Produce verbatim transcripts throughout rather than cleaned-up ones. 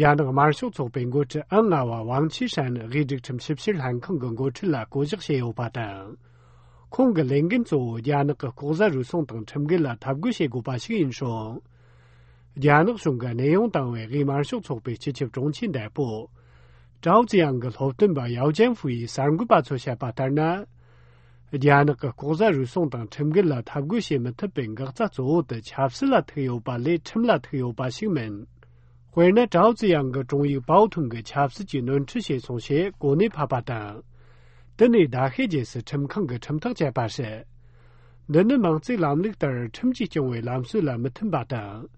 རྒྱ་ནག་དམར་ཤོག་ཚོགས་པའི་འགོ་ཁྲིད་ཨང་ལྔ་བ་ཝང་ཆི་ཧྲན་དབུས་སྒྲིག་ཁྲིམས་ཞིབ་བཤེར་ལྷན་ཁང་གི་འགོ་ཁྲིད་ལ་བསྐོ་གཞག་བྱས་ཡོད་པ་དང་། ཁོང་གི་ལས་འགན་གཙོ་བོ་རྒྱ་ནག་གི་ལྐོག་ཟ་རུལ་སུངས་དང་ཁྲིམས་འགལ་ལ་འཐབ་རྒོལ་བྱེད་དགོས་པ་ཞིག་ཡིན་སྲོལ། རྒྱ་ནག་གཞུང་གིས་གནས་དབྱུང་བཏང་བའི་དབུས་དམར་ཤོག་ཚོགས་པའི་སྤྱི་ཁྱབ་དྲུང་ཆེ་འདས་པོ། ཀྲའོ་ཙི་ཡང་གི་སློབ་སྟོན་པ་ཡའོ་ཅན་ཧྥུ་ཡིས་གསར་འགོད་པ་ཚོར་བཤད་པ་ལྟར་ན། རྒྱ་ནག་གི་ལྐོག་ཟ་རུལ་སུངས་དང་ཁྲིམས་འགལ་ལ་འཐབ་རྒོལ་བྱེད་མི་ཐུབ་པའི་འགག་རྩ་གཙོ་བོ་དེ་ཆབ་སྲིད་ལ་ཐུག་ཡོད་པ་ལས་ཁྲིམས་ལ་ཐུག་ཡོད་པ་ཞིག་མིན། དཔེར་ན། ཀྲའོ་ཙི་ཡང་གི་དྲུང་ཡིག་པའོ་ཐུང་གིས་ཆབ་སྲིད་ཀྱི་ནོར་འཁྲུལ་བྱས་སོང་ཞེས་གོ་གནས་ཕབ་པ་དང་། དེ་ནས་ཟླ་ཤས་རྗེས་སུ་ཁྲིམས་ཁང་གིས་ཁྲིམས་ཐག་བཅད་པ་རེད། འདི་ནི་མིང་བརྩེགས་ལམ་ལུགས་ལྟར་ཁྲིམས་ཀྱིས་སྐྱོང་བའི་ལམ་སྲོལ་ལ་མི་མཐུན་པ་དང་།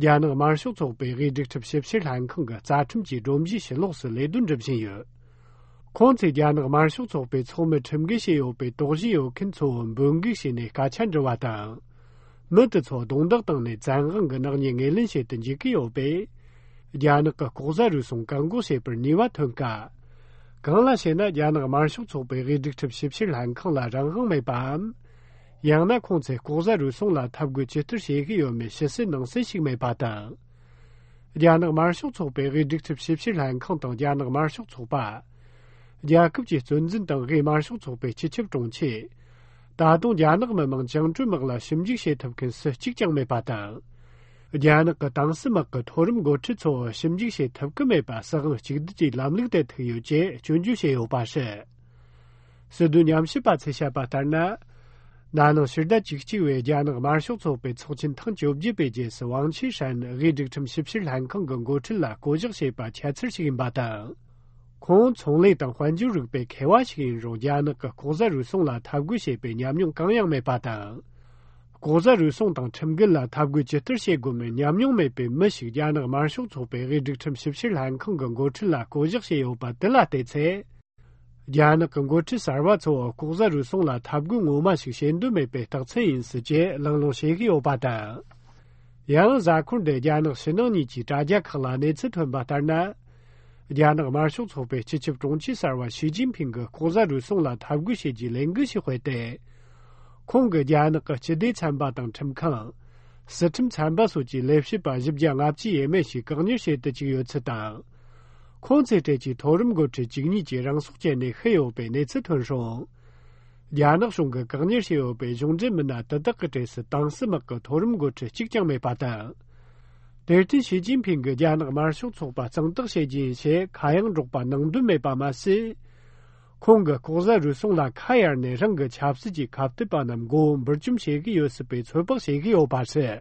རྒྱ་ནག་དམར་ཤོག་ཚོགས་པའི་དབུས་སྒྲིག་ཁྲིམས་ཞིབ་བཤེར་ལྷན་ཁང་གི་རྩ་ཁྲིམས་ཀྱི་སྒྲོམ་གཞིའི་ཕྱི་ལོགས་སུ་ལས་དོན་སྒྲུབ་བཞིན་ཡོད། ཁོང་ཚོས་རྒྱ་ནག་དམར་ཤོག་ཚོགས་པའི་ཚོགས་མི་ཁྲིམས་འགལ་བྱས་ཡོད་པའི་དོགས་གཞི་ཡོད་མཁན་ཚོ་འབོད་འགུག་བྱས་ནས་སྐད་ཆ་འདྲི་བ་དང་། མི་དེ་ཚོ་རྡུང་རྡེག་བཏང་ནས་བཙན་དབང་གི་ནག་ཉེས་ངོས་ལེན་བྱེད་དུ་འཇུག་གི་ཡོད་པས། རྒྱ་ནག་གི་ལྐོག་ཟ་རུལ་སུངས་བཀག་འགོག་བྱེད་པར་ནུས་པ་ཐོན་དཀའ། གང་ལ་ཞེ་ན། རྒྱ་ནག་དམར་ཤོག་ཚོགས་པའི་དབུས་སྒྲིག་ཁྲིམས་ཞིབ་བཤེར་ལྷན་ཁང་ལ་རང་དབང་མེད་པའམ། ཡང་ན་ཁོང་ཚོས་ལྐོག་ཟ་རུལ་སུངས་ལ་འཐབ་རྒོལ་ཇི་ལྟར་བྱེད་ཀྱི་ཡོད་མེད་ཕྱི་གསལ་ནང་གསལ་ཞིག་མེད་པ་དང་། རྒྱ་ནག་དམར་ཤོག་ཚོགས་པའི་དབུས་སྒྲིག་ཁྲིམས་ཞིབ་བཤེར་ལྷན་ཁང་དང་རྒྱ་ནག་དམར་ཤོག་ཚོགས་པ། རྒྱལ་ཁབ་ཀྱི་གཙོ་འཛིན་དང་དབུས་དམར་ཤོག་ཚོགས་པའི་སྤྱི་ཁྱབ་དྲུང་ཆེ། ད་དུང་རྒྱ་ནག་མི་དམངས་བཅིངས་འགྲོལ་དམག་ལ་ཞིབ་འཇུག་བྱེད་ཐུབ་མཁན་སུ་གཅིག་ཀྱང་མེད་པ་དང་། རྒྱ་ནག་གི་ཏང་སྲིད་དམག་གི་མཐོ་རིམ་འགོ་ཁྲིད་ཚོ་ཞིབ་འཇུག་བྱེད་ཐུབ་ཀྱི་མེད་པ་སྲིད་དབང་གཅིག་སྡུད་ཀྱི་ལམ་ལུགས་དེ་ཐུག་ཡོད་ཅེས་སྐྱོན་བརྗོད་བྱས་ཡོད་པ་རེད། སྲིད་དོན་ཉམས་ཞིབ་པ་ཚོས་བཤད་པ་ལྟར་ན། ན་ནིང་ཕྱི་ཟླ་བཅུ་གཅིག་པའི་རྒྱ་ནག་དམར་ཤོག་ཚོགས་པའི་ཚོགས་ཆེན་ཐེངས་བཅོ་བརྒྱད་པའི་རྗེས་སུ་ཝང་ཆི་ཧྲན་དབུས་སྒྲིག་ཁྲིམས་ཞིབ་བཤེར་ལྷན་ཁང་གི་འགོ་ཁྲིད་ལ་བསྐོ་གཞག་བྱས་པ་ཁྱད་མཚར་ཞིག་ཡིན་པ་དང་། ཁོང་ཚོང་ལས་དང་དཔལ་འབྱོར་རིག་པའི་མཁས་པ་ཞིག་ཡིན་རུང་རྒྱ་ནག་གི་ལྐོག་ཟ་རུལ་སུངས་ལ་འཐབ་རྒོལ་བྱེད་པའི་ཉམས་མྱོང་གང་ཡང་མེད་པ་དང་། ལྐོག་ཟ་རུལ་སུངས་དང་ཁྲིམས་འགལ་ལ་འཐབ་རྒོལ་ཇི་ལྟར་བྱེད་དགོས་མིན་ཉམས་མྱོང་མེད་པའི་མི་ཞིག་རྒྱ་ནག་དམར་ཤོག་ཚོགས་པའི་དབུས་སྒྲིག་ཁྲིམས་ཞིབ་བཤེར་ལྷན་ཁང་གི་འགོ་ཁྲིད་ལ་བསྐོ་གཞག་བྱས་ཡོད་པ་དེ་ལ་བལྟས་ཚེ། རྒྱ་ནག་གི་འགོ་ཁྲིད་གསར་བ་ཚོ་ལྐོག་ཟ་རུལ་སུངས་ལ་འཐབ་རྒོལ་ངོ་མ་ཞིག་བྱེད་འདོད་མེད་པའི་རྟགས་མཚན་ཡིན་སྲིད་ཅེས་གླེང་སློང་བྱེད་ཀྱི་ཡོད་པ་དང་། ཡང་གཟའ་འཁོར་འདིར་རྒྱ་ནག་ཕྱི་ནང་གཉིས་ཀྱི་དྲ་རྒྱ་ཁག་ལ་གནས་ཚུལ་ཐོན་པ་ལྟར་ན། རྒྱ་ནག་དམར་ཤོག་ཚོགས་པའི་སྤྱི་ཁྱབ་དྲུང་ཆེ་གསར་བ་ཞི་ཅིན་ཕིང་གིས་ལྐོག་ཟ་རུལ་སུངས་ལ་འཐབ་རྒོལ་བྱེད་རྒྱུའི་ལས་འགུལ་ཞིག་སྤེལ་ཏེ། ཁོང་གིས་རྒྱ་ནག་གི་སྤྱི་བདེ་ཚན་པ་དང་ཁྲིམས་ཁང་། སྲིད་ཁྲིམས་ཚན་པ་སོགས་ཀྱི་ལས་བྱེད་པ་བཞི་བརྒྱ་ལྔ་བཅུ་ཡས་མས་ཤིག་བཀག་ཉར་བྱེད་དུ་བཅུག་ཡོད་ཚུལ་དང་། ཁོང་ཚོའི་གྲས་ཀྱི་མཐོ་རིམ་འགོ་ཁྲིད་བཅུ་གཉིས་ཀྱིས་རང་སྲོག་བཅད་ནས་ཤི་ཡོད་པའི་གནས་ཚུལ་ཐོན་སོང་། རྒྱ་ནག་གཞུང་གིས་བཀག་ཉར་བྱས་ཡོད་པའི་གཞུང་འབྲེལ་མི་སྣ་དེ་དག་གི་གྲས་སུ་ཏང་སྲིད་དམག་གི་མཐོ་རིམ་འགོ་ཁྲིད་གཅིག་ཀྱང་མེད་པ་དང་། དེར་བརྟེན་ཞི་ཅིན་ཕིང་གིས་རྒྱ་ནག་དམར་ཤོག་ཚོགས་པ་གཙང་དག་བྱེད་རྒྱུ་ཡིན་ཞེས་ཁ་གཡང་སྒྲོག་པ་གནང་འདོད་མེད་པ་མ་ཟད། ཁོང་གིས་ལྐོག་ཟ་རུལ་སུངས་ལ་ཁ་གཡར་ནས་རང་གི་ཆབ་སྲིད་ཀྱི་ཁ་གཏད་པ་རྣམས་མགོ་བོ་འབུར་བཅོམ་བྱེད་ཀྱི་ཡོད་སྲིད་པའི་ཚོད་དཔག་བྱེད་ཀྱི་ཡོད་པ་རེད།